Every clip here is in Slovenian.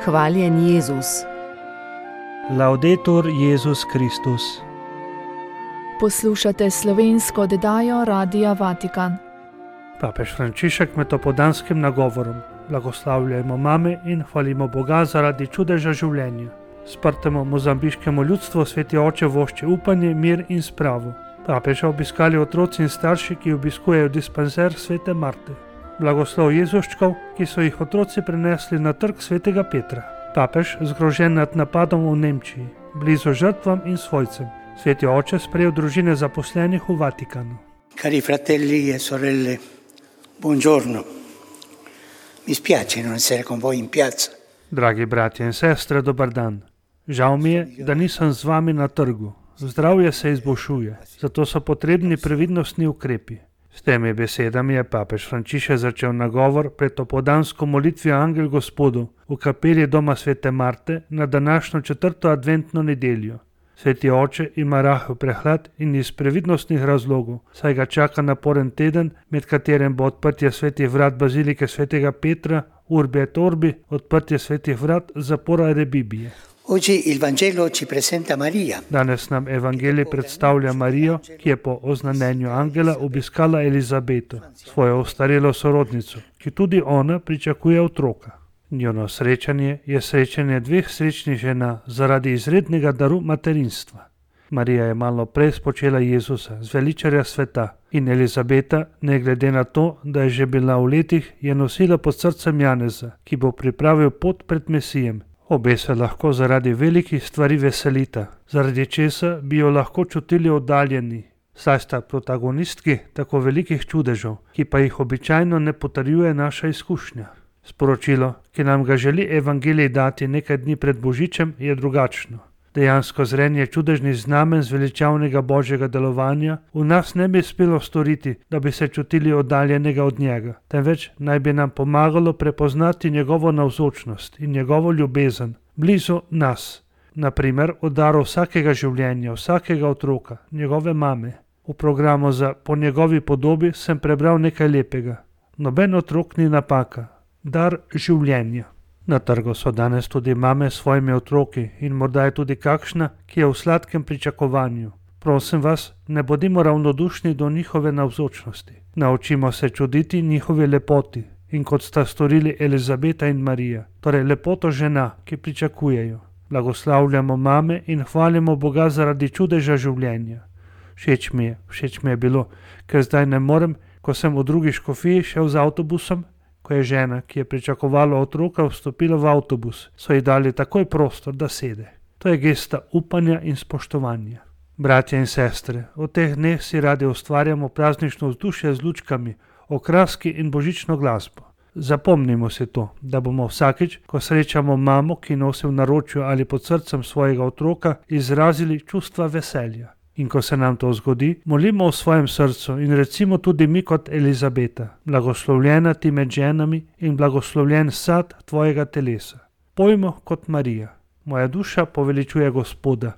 Hvaljen Jezus. Laudetur Jezus Kristus. Poslušate slovensko oddajo Radia Vatikan. Papež Frančišek med opoldanskim nagovorom blagoslavljajmo mame in hvalimo Boga zaradi čudeža življenja. Sprtemu mozambiškemu ljudstvu Sveti Oče vošči upanje, mir in spravo. Papeža obiskali otroci in starši, ki obiskujejo dispanzer Svete Marte. Blagoslov Jezuščkov, ki so jih otroci prenesli na trg Svetega Petra. Papež zgrožen nad napadom v Nemčiji, blizu žrtvam in svojcem. Sveti Oče sprejel družine zaposlenih v Vatikanu. Cari fratelli e sorelle, buongiorno. Mi spiace non essere con voi in piazza. Dragi bratje in sestre, dober dan. Žal mi je, da nisem z vami na trgu. Zdravje se izboljšuje, zato so potrebni previdnostni ukrepi. S temi besedami je papež Frančišek začel nagovor pred opoldansko molitvijo Angel Gospodu v kapeli doma Svete Marte na današnjo 4. adventno nedeljo. Sveti Oče ima rahel prehlad in iz previdnostnih razlogov, saj ga čaka naporen teden, med katerim bo odprtje svetih vrat bazilike Svetega Petra, Urbi et Orbi, odprtje svetih vrat zapora Rebibije. Oggi il Vangelo ci presenta Maria. Danes nam evangelij predstavlja Marijo, ki je po oznanjenju angela obiskala Elizabeto, svojo ostarelo sorodnico, ki tudi ona pričakuje otroka. Njuno srečanje je srečanje dveh srečnih žena zaradi izrednega daru materinstva. Marija je malo prej spočela Jezusa, zveličarja sveta, in Elizabeta, ne glede na to, da je že bila v letih, je nosila pod srcem Janeza, ki bo pripravil pot pred Mesijem. Obe se lahko zaradi velikih stvari veselita, zaradi česa bi jo lahko čutili oddaljeni. Saj sta protagonistki tako velikih čudežev, ki pa jih običajno ne potrjuje naša izkušnja. Sporočilo, ki nam ga želi evangelij dati nekaj dni pred Božičem, je drugačno. Dejansko zrenje čudežnih znamen zveličavnega Božjega delovanja v nas ne bi spelo storiti, da bi se čutili oddaljenega od njega, temveč naj bi nam pomagalo prepoznati njegovo navzočnost in njegovo ljubezen blizu nas. Naprimer, o daru vsakega življenja, vsakega otroka, njegove mame. V programu za Po njegovi podobi sem prebral nekaj lepega. Noben otrok ni napaka. Dar življenja. Na trgu so danes tudi mame s svojimi otroki in morda je tudi kakšna, ki je v sladkem pričakovanju. Prosim vas, ne bodimo ravnodušni do njihove navzočnosti. Naučimo se čuditi njihovi lepoti in kot sta storili Elizabeta in Marija, torej lepoto žena, ki pričakujejo. Blagoslavljamo mame in hvalimo Boga zaradi čudeža življenja. Všeč mi je bilo, ker zdaj ne morem, ko sem v drugi škofiji šel z avtobusom, ko je žena, ki je pričakovala otroka, vstopila v avtobus, so ji dali takoj prostor, da sede. To je gesta upanja in spoštovanja. Bratje in sestre, v teh dneh si radi ustvarjamo praznično vzdušje z lučkami, okraski in božično glasbo. Zapomnimo si to, da bomo vsakič, ko srečamo mamo, ki nosi v naročju ali pod srcem svojega otroka, izrazili čustva veselja. In ko se nam to zgodi, molimo v svojem srcu in recimo tudi mi kot Elizabeta, blagoslovljena ti med ženami in blagoslovljen sad tvojega telesa. Pojmo kot Marija, moja duša poveličuje Gospoda,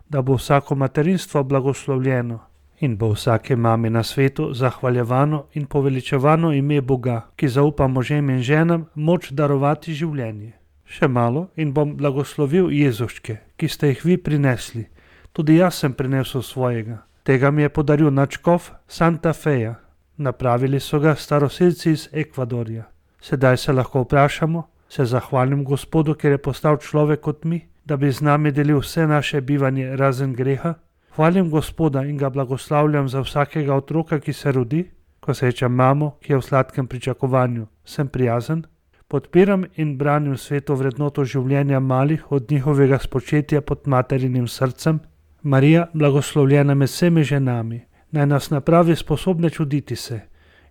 da bo vsako materinstvo blagoslovljeno in bo vsake mami na svetu zahvaljevano in poveličevano ime Boga, ki zaupa možem in ženam moč darovati življenje. Še malo in bom blagoslovil Jezuščke, ki ste jih vi prinesli. Tudi jaz sem prinesel svojega. Tega mi je podaril nadškof Santa Feja. Napravili so ga staroselci iz Ekvadorja. Sedaj se lahko vprašamo, se zahvalim Gospodu, ker je postal človek kot mi, da bi z nami delil vse naše bivanje razen greha. Hvalim Gospoda in ga blagoslavljam za vsakega otroka, ki se rodi. Ko srečam mamo, ki je v sladkem pričakovanju, sem prijazen. Podpiram in branim sveto vrednoto življenja malih od njihovega spočetja pod materinim srcem. Marija, blagoslovljena med vsemi ženami, naj nas napravi sposobne čuditi se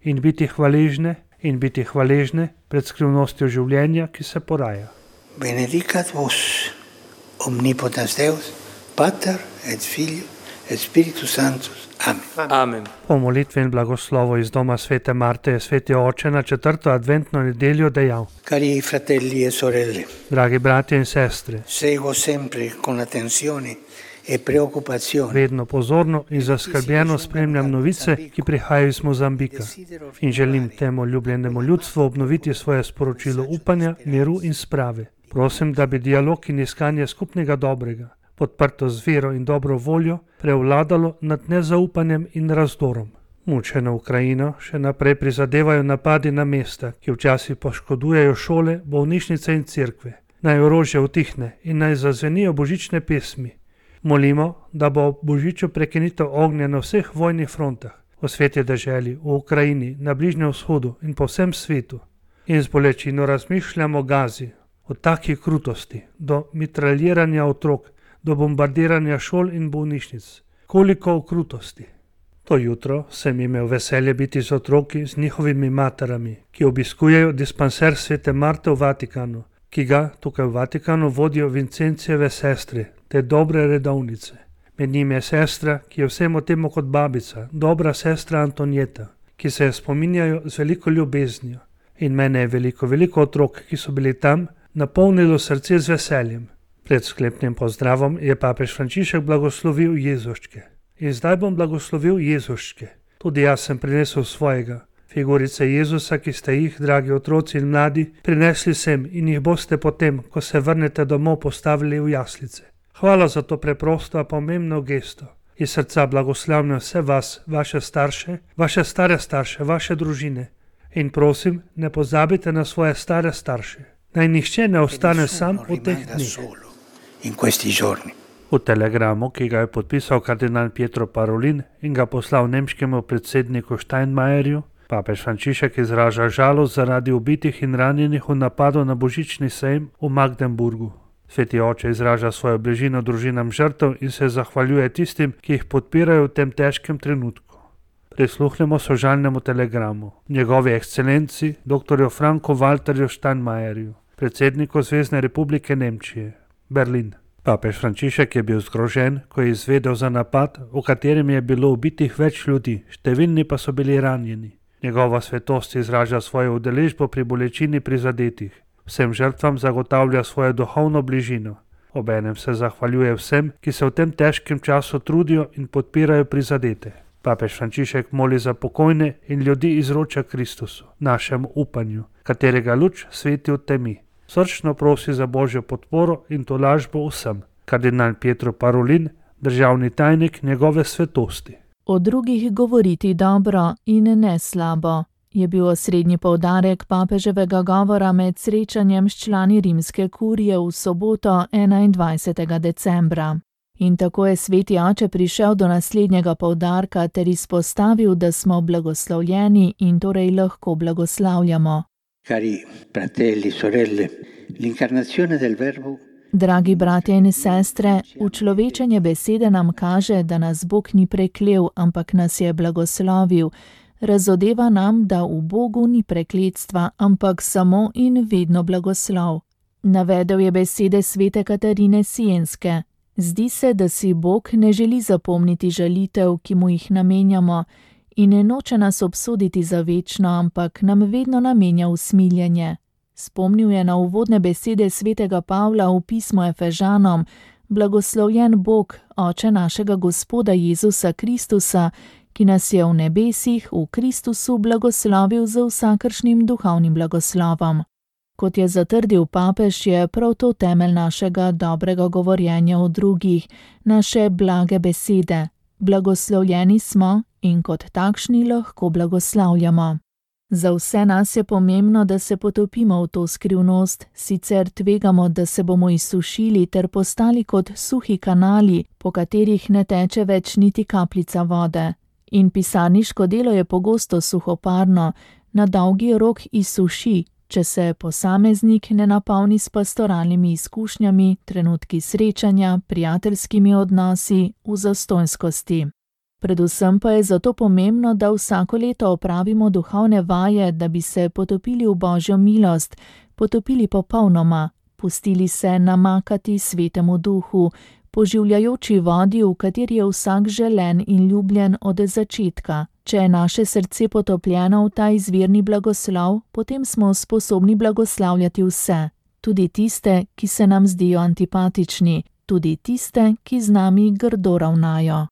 in biti hvaležne pred skrivnostjo življenja, ki se poraja. Benedicat vos, omnipotens Deus, Pater et Filio et Spiritus Sanctus. Amen. Amen. Po molitvi in blagoslovu iz doma Svete Marte je Sveti Oče na 4. adventno nedeljo dejal: Cari fratelli e sorelle, dragi bratje in sestre, seguo sempre con attenzione e preoccupazione. Vedno pozorno in zaskrbljeno spremljam novice, ki prihajajo iz Mozambika in želim temu ljubljenemu ljudstvu obnoviti svoje sporočilo upanja, miru in sprave. Prosim, da bi dialog in iskanje skupnega dobrega, podprto z vero in dobro voljo, prevladalo nad nezaupanjem in razdorom. Mučeno Ukrajino še naprej prizadevajo napadi na mesta, ki včasih poškodujejo šole, bolnišnice in cerkve. Naj orožje utihne in naj zazvenijo božične pesmi. Molimo, da bo ob božiču prekinitev ognja na vseh vojnih frontah, v sveti deželi, v Ukrajini, na Bližnjem vzhodu in po vsem svetu. In z bolečino razmišljamo o Gazi, od takih krutosti, do mitraljiranja otrok, do bombardiranja šol in bolnišnic. Koliko o krutosti. To jutro sem imel veselje biti z otroki, z njihovimi materami, ki obiskujejo dispanser svete Marte v Vatikanu, ki ga tukaj v Vatikanu vodijo Vincencijeve sestre, te dobre redovnice. Med njimi je sestra, ki je vsemu temu kot babica, dobra sestra Antonijeta, ki se je spominjajo z veliko ljubeznijo. In mene je veliko otrok, ki so bili tam, napolnilo srce z veseljem. Pred sklepnim pozdravom je papež Frančišek blagoslovil Jezuščke. In zdaj bom blagoslovil Jezuščke. Tudi jaz sem prinesel svojega. Figurice Jezusa, ki ste jih, dragi otroci in mladi, prinesli sem in jih boste potem, ko se vrnete domov, postavili v jaslice. Hvala za to preprosto a pomembno gesto. Iz srca blagoslavljam vse vas, vaše starše, vaše stare starše, vaše družine. In prosim, ne pozabite na svoje stare starše. Naj nihče ne ostane sam v teh dneh. V telegramu, ki ga je podpisal kardinal Pietro Parolin in ga poslal nemškemu predsedniku Steinmeierju, papež Frančišek izraža žalost zaradi ubitih in ranjenih v napadu na božični sejem v Magdeburgu. Sveti oče izraža svojo bližino družinam žrtev in se zahvaljuje tistim, ki jih podpirajo v tem težkem trenutku. Prisluhnemo sožalnemu telegramu njegovi ekscelenci dr. Franku Walterju Steinmeierju, predsedniku Zvezne republike Nemčije, Berlin. Papež Frančišek je bil zgrožen, ko je izvedel za napad, v katerem je bilo ubitih več ljudi, številni pa so bili ranjeni. Njegova svetost izraža svojo udeležbo pri bolečini prizadetih. Vsem žrtvam zagotavlja svojo duhovno bližino. Obenem se zahvaljuje vsem, ki se v tem težkem času trudijo in podpirajo prizadete. Papež Frančišek moli za pokojne in ljudi izroča Kristusu, našemu upanju, katerega luč sveti v temi. Srčno prosi za božjo podporo in tolažbo vsem. Kardinal Pietro Parolin, državni tajnik njegove svetosti. O drugih govoriti dobro in ne slabo je bil osrednji poudarek papeževega govora med srečanjem s člani rimske kurije v soboto 21. decembra. In tako je sveti oče prišel do naslednjega poudarka ter izpostavil, da smo blagoslovljeni in torej lahko blagoslavljamo. Cari fratelli, sorelle, l'incarnazione del verbo. Dragi bratje in sestre, učlovečenje besede nam kaže, da nas Bog ni preklel, ampak nas je blagoslovil. Razodeva nam, da v Bogu ni prekletstva, ampak samo in vedno blagoslov. Navedel je besede svete Katarine Sienske. Zdi se, da si Bog ne želi zapomniti žalitev, ki mu jih namenjamo, in ne noče nas obsoditi za večno, ampak nam vedno namenja usmiljenje. Spomnil je na uvodne besede svetega Pavla v pismu Efežanom: Blagoslovljen Bog, Oče našega Gospoda Jezusa Kristusa, ki nas je v nebesih v Kristusu blagoslovil z vsakršnim duhovnim blagoslovom. Kot je zatrdil papež, je prav to temelj našega dobrega govorjenja o drugih, naše blage besede. Blagoslovljeni smo in kot takšni lahko blagoslavljamo. Za vse nas je pomembno, da se potopimo v to skrivnost, sicer tvegamo, da se bomo izsušili ter postali kot suhi kanali, po katerih ne teče več niti kapljica vode. In pisarniško delo je pogosto suhoparno, na dolgi rok izsuši, če se posameznik ne napolni s pastoralnimi izkušnjami, trenutki srečanja, prijateljskimi odnosi, v zastonjskosti. Predvsem pa je zato pomembno, da vsako leto opravimo duhovne vaje, da bi se potopili v Božjo milost, potopili popolnoma, pustili se namakati svetemu duhu, poživljajoči vodi, v kateri je vsak želen in ljubljen od začetka. Če je naše srce potopljeno v ta izvirni blagoslov, potem smo sposobni blagoslavljati vse, tudi tiste, ki se nam zdijo antipatični, tudi tiste, ki z nami grdo ravnajo.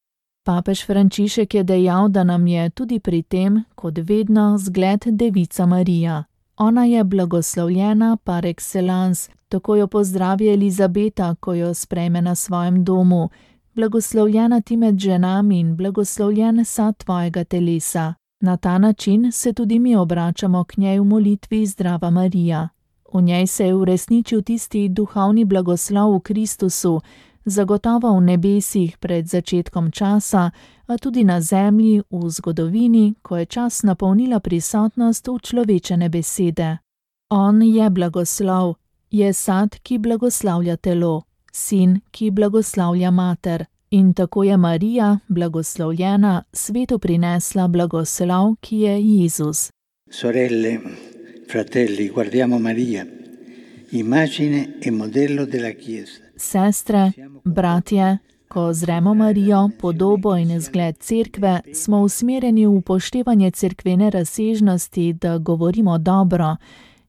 Papež Frančišek je dejal, da nam je tudi pri tem, kot vedno, zgled Devica Marija. Ona je blagoslovljena par excellence, tako jo pozdravi Elizabeta, ko jo sprejme na svojem domu. Blagoslovljena ti med ženami in blagoslovljen sad tvojega telesa. Na ta način se tudi mi obračamo k njej v molitvi Zdrava Marija. V njej se je uresničil tisti duhovni blagoslov v Kristusu, zagotovo v nebesih pred začetkom časa, a tudi na zemlji v zgodovini, ko je čas napolnila prisotnost učlovečene besede. On je blagoslov, je sad, ki blagoslavlja telo, sin, ki blagoslavlja mater. In tako je Marija, blagoslovljena, svetu prinesla blagoslov, ki je Jezus. Sorelle, fratelli, guardiamo Maria, immagine e modello della Chiesa. Sestre, bratje, ko zremo Marijo, podobo in zgled cerkve, smo usmerjeni v upoštevanje cerkvene razsežnosti, da govorimo dobro,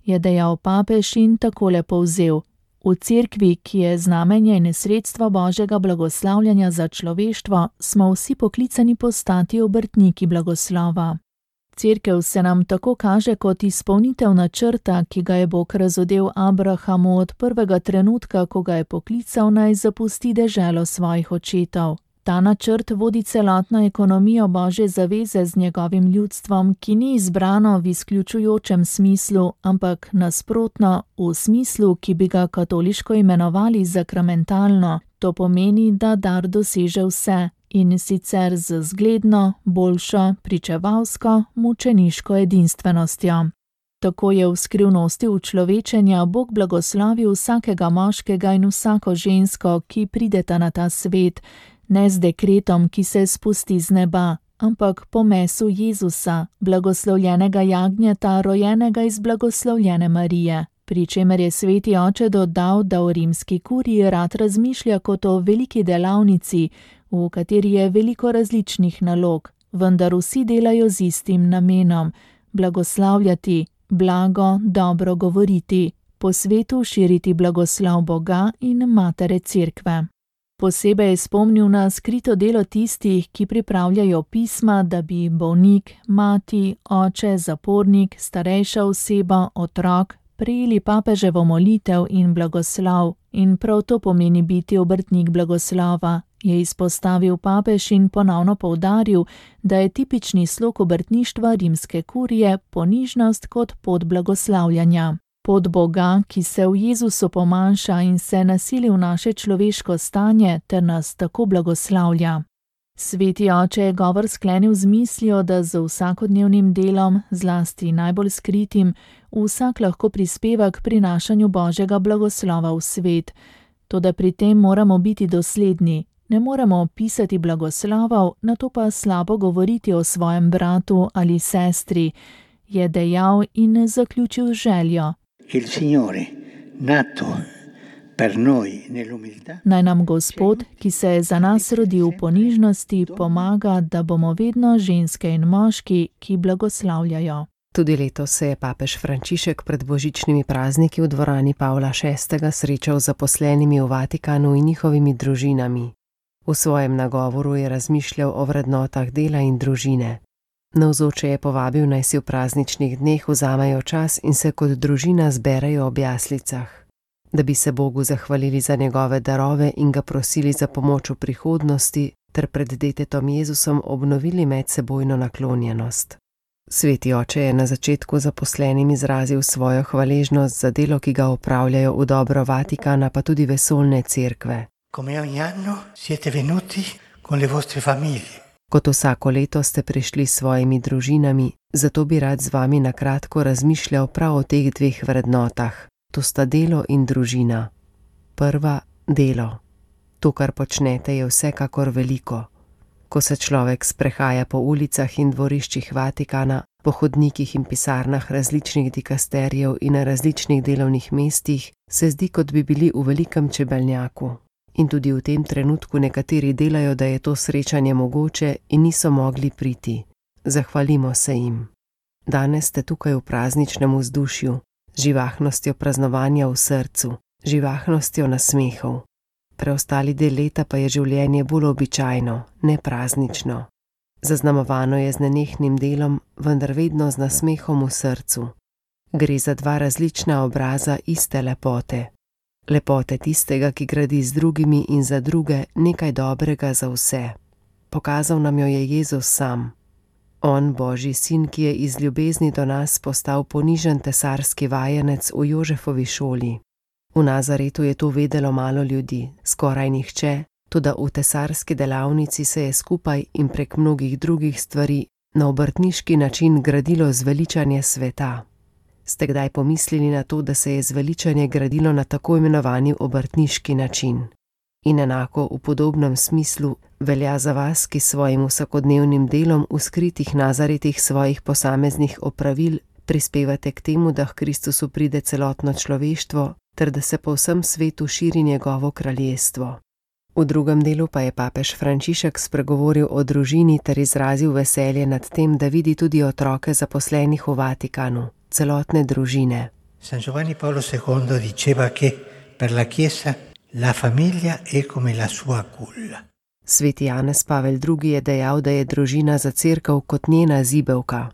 je dejal papež in takole povzel. V cerkvi, ki je znamenje in sredstvo Božjega blagoslavljanja za človeštvo, smo vsi poklicani postati obrtniki blagoslova. Cerkev se nam tako kaže kot izpolnitev načrta, ki ga je Bog razodel Abrahamu od prvega trenutka, ko ga je poklical naj zapusti deželo svojih očetov. Ta načrt vodi celotno ekonomijo Božje zaveze z njegovim ljudstvom, ki ni izbrano v izključujočem smislu, ampak nasprotno, v smislu, ki bi ga katoliško imenovali sakramentalno. To pomeni, da dar doseže vse, in sicer z zgledno, boljšo, pričevalsko, mučeniško edinstvenostjo. Tako je v skrivnosti učlovečenja Bog blagoslovil vsakega moškega in vsako žensko, ki prideta na ta svet, ne z dekretom, ki se spusti z neba, ampak po mesu Jezusa, blagoslovljenega jagnjeta, rojenega iz blagoslovljene Marije. Pri čemer je sveti oče dodal, da o rimski kuriji rad razmišlja kot o veliki delavnici, v kateri je veliko različnih nalog, vendar vsi delajo z istim namenom: blagoslavljati, blago, dobro govoriti, po svetu širiti blagoslov Boga in Matere Cerkve. Posebej je spomnil na skrito delo tistih, ki pripravljajo pisma, da bi bolnik, mati, oče, zapornik, starejša oseba, otrok prejeli papeževo molitev in blagoslov, in prav to pomeni biti obrtnik blagoslova, je izpostavil papež in ponovno poudaril, da je tipični slog obrtništva rimske kurije ponižnost kot pot blagoslavljanja. Pot Boga, ki se v Jezusu pomanjša in se nasili v naše človeško stanje ter nas tako blagoslavlja. Sveti oče je govor sklenil z mislijo, da z vsakodnevnim delom, zlasti najbolj skritim, vsak lahko prispeva k prinašanju Božjega blagoslova v svet. Toda pri tem moramo biti dosledni. Ne moremo pisati blagoslovov, nato pa slabo govoriti o svojem bratu ali sestri, je dejal in zaključil željo. Naj nam Gospod, ki se je za nas rodil v ponižnosti, pomaga, da bomo vedno ženske in moški, ki blagoslavljajo. Tudi letos se je papež Frančišek pred božičnimi prazniki v dvorani Pavla VI. Srečal z zaposlenimi v Vatikanu in njihovimi družinami. V svojem nagovoru je razmišljal o vrednotah dela in družine. Navzoče je povabil, naj si v prazničnih dneh vzamejo čas in se kot družina zberejo ob jaslicah, da bi se Bogu zahvalili za njegove darove in ga prosili za pomoč v prihodnosti ter pred detetom Jezusom obnovili medsebojno naklonjenost. Sveti oče je na začetku zaposlenim izrazil svojo hvaležnost za delo, ki ga opravljajo v dobro Vatikana, pa tudi vesoljne cerkve. Kot vsako leto ste prišli s svojimi družinami, zato bi rad z vami na kratko razmišljal prav o teh dveh vrednotah. To sta delo in družina. Prva, delo. To, kar počnete, je vsekakor veliko. Ko se človek sprehaja po ulicah in dvoriščih Vatikana, po hodnikih in pisarnah različnih dikasterijev in na različnih delovnih mestih, se zdi, kot bi bili v velikem čebelnjaku. In tudi v tem trenutku nekateri delajo, da je to srečanje mogoče in niso mogli priti. Zahvalimo se jim. Danes ste tukaj v prazničnem vzdušju, živahnostjo praznovanja v srcu, živahnostjo nasmehov. Preostali del leta pa je življenje bolj običajno, ne praznično. Zaznamovano je z nenehnim delom, vendar vedno z nasmehom v srcu. Gre za dva različna obraza iste lepote. Lepote tistega, ki gradi z drugimi in za druge nekaj dobrega za vse. Pokazal nam jo je Jezus sam. On, Božji sin, ki je iz ljubezni do nas postal ponižen tesarski vajenec v Jožefovi šoli. V Nazaretu je to vedelo malo ljudi, skoraj nihče, toda v tesarski delavnici se je skupaj in prek mnogih drugih stvari na obrtniški način gradilo zveličanje sveta. Ste kdaj pomislili na to, da se je zveličanje gradilo na tako imenovani obrtniški način? In enako v podobnem smislu velja za vas, ki svojim vsakodnevnim delom v skritih nazaretih svojih posameznih opravil prispevate k temu, da k Kristusu pride celotno človeštvo, ter da se po vsem svetu širi njegovo kraljestvo. V drugem delu pa je papež Frančišek spregovoril o družini ter izrazil veselje nad tem, da vidi tudi otroke zaposlenih v Vatikanu, celotne družine. San Giovanni Paolo II diceva che per la Chiesa la famiglia è come la sua culla. Sveti Janez Pavel II je dejal, da je družina za cerkev kot njena zibelka.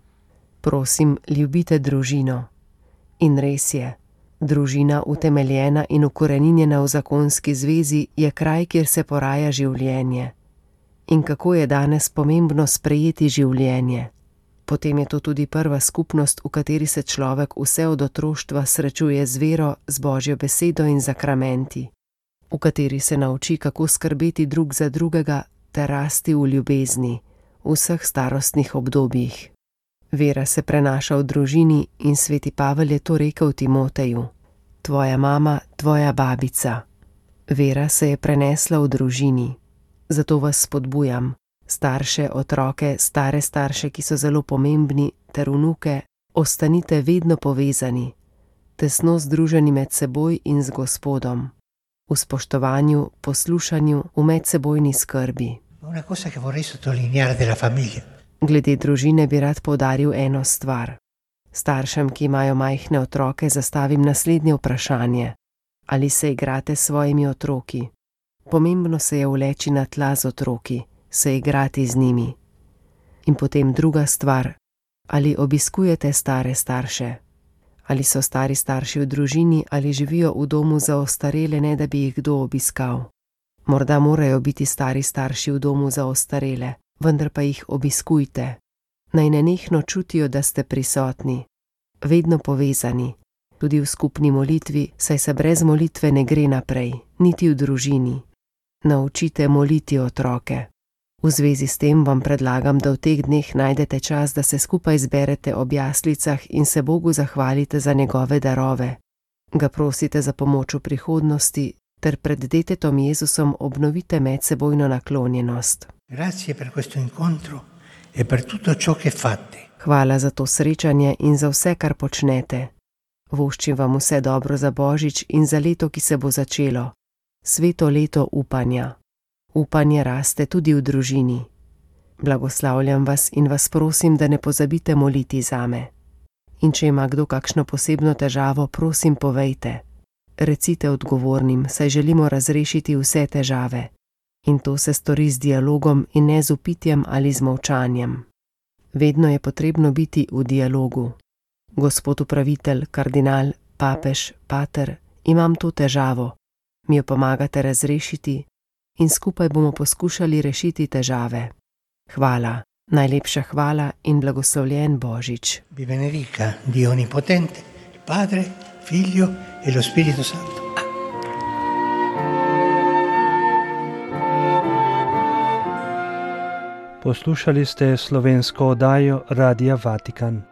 Prosim, ljubite družino. In res je, družina utemeljena in ukoreninjena v zakonski zvezi je kraj, kjer se poraja življenje. In kako je danes pomembno sprejeti življenje. Potem je to tudi prva skupnost, v kateri se človek vse od otroštva srečuje z vero, z Božjo besedo in zakramenti, v kateri se nauči, kako skrbeti drug za drugega ter rasti v ljubezni v vseh starostnih obdobjih. Vera se prenaša v družini in sveti Pavel je to rekel Timoteju: tvoja mama, tvoja babica. Vera se je prenesla v družini. Zato vas spodbujam, starše, otroke, stare starše, ki so zelo pomembni, ter vnuke, ostanite vedno povezani, tesno združeni med seboj in z Gospodom, v spoštovanju, poslušanju, v medsebojni skrbi. Una cosa che vorrei sottolineare della famiglia. Glede družine bi rad poudaril eno stvar. Staršem, ki imajo majhne otroke, zastavim naslednje vprašanje. Ali se igrate s svojimi otroki? Pomembno se je uleči na tla z otroki, se igrati z njimi. In potem druga stvar. Ali obiskujete stare starše? Ali so stari starši v družini ali živijo v domu za ostarele, ne da bi jih kdo obiskal? Morda morajo biti stari starši v domu za ostarele, vendar pa jih obiskujte. Naj nenehno čutijo, da ste prisotni, vedno povezani, tudi v skupni molitvi, saj se brez molitve ne gre naprej, niti v družini. Naučite moliti otroke. V zvezi s tem vam predlagam, da v teh dneh najdete čas, da se skupaj zberete ob jaslicah in se Bogu zahvalite za njegove darove. Ga prosite za pomoč v prihodnosti, ter pred detetom Jezusom obnovite medsebojno naklonjenost. Grazie per questo incontro e per tutto ciò che fate. Hvala za to srečanje in za vse, kar počnete. Voščim vam vse dobro za Božič in za leto, ki se bo začelo. Sveto leto upanja. Upanje raste tudi v družini. Blagoslavljam vas in vas prosim, da ne pozabite moliti zame. In če ima kdo kakšno posebno težavo, prosim povejte. Recite odgovornim, saj želimo razrešiti vse težave. In to se stori z dialogom in ne z vpitjem ali z molčanjem. Vedno je potrebno biti v dialogu. Gospod upravitelj, kardinal, papež, pater, imam to težavo. Mi jo pomagate razrešiti in skupaj bomo poskušali rešiti težave. Hvala, najlepša hvala in blagoslovljen Božič. Vi benedica Dio Onnipotente, Padre, Figlio e lo Spirito Santo. Poslušali ste slovensko oddajo Radia Vatikan.